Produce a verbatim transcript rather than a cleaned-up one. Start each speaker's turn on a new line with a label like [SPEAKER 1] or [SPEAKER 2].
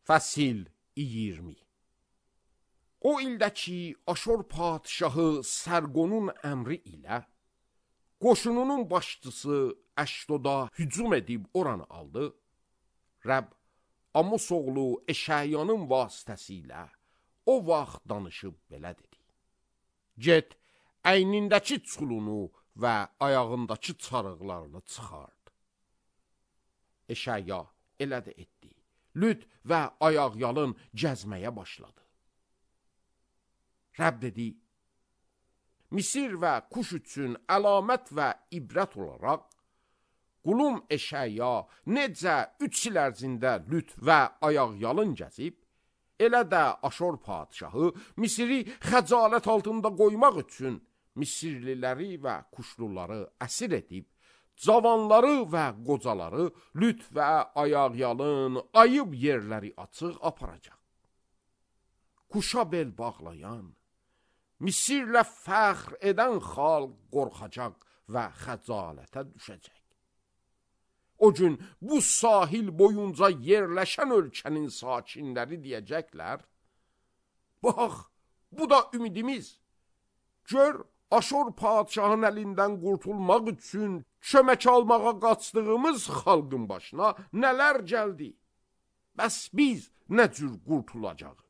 [SPEAKER 1] Fəsil iyirmi. O ildə ki, Aşur padşahı Sərqonun əmri ilə qoşununun başçısı Əşdoda hücum edib oranı aldı, Rəbb Amus oğlu Eşəyanın vasitəsilə o vaxt danışıb belə dedi: Get, əynindəki çulunu və ayağındakı çarıqlarını çıxart. Eşəya elə də etdi. Lüt və ayaqyalın gəzməyə başladı. Rəbb dedi: Misir və Kuş üçün əlamət və ibrət olaraq qulum Eşəya necə üç il ərzində lüt və ayaqyalın gəzib, elə də Aşur padşahı Misiri xəcalət altında qoymaq üçün Misirliləri və Kuşluları əsir edib, cavanları və qocaları lüt və ayaqyalın ayıb yerləri açıq aparacaq. Kuşa bel bağlayan, Misirlə fəxr edən xalq qorxacaq və xəcalətə düşəcək. O gün bu sahil boyunca yerləşən ölkənin sakinləri deyəcəklər: Bax, bu da ümidimiz. Gör, Aşur padşahın əlindən qurtulmaq üçün kömək almağa qaçdığımız xalqın başına nələr gəldi. Bəs biz nə cür qurtulacaq?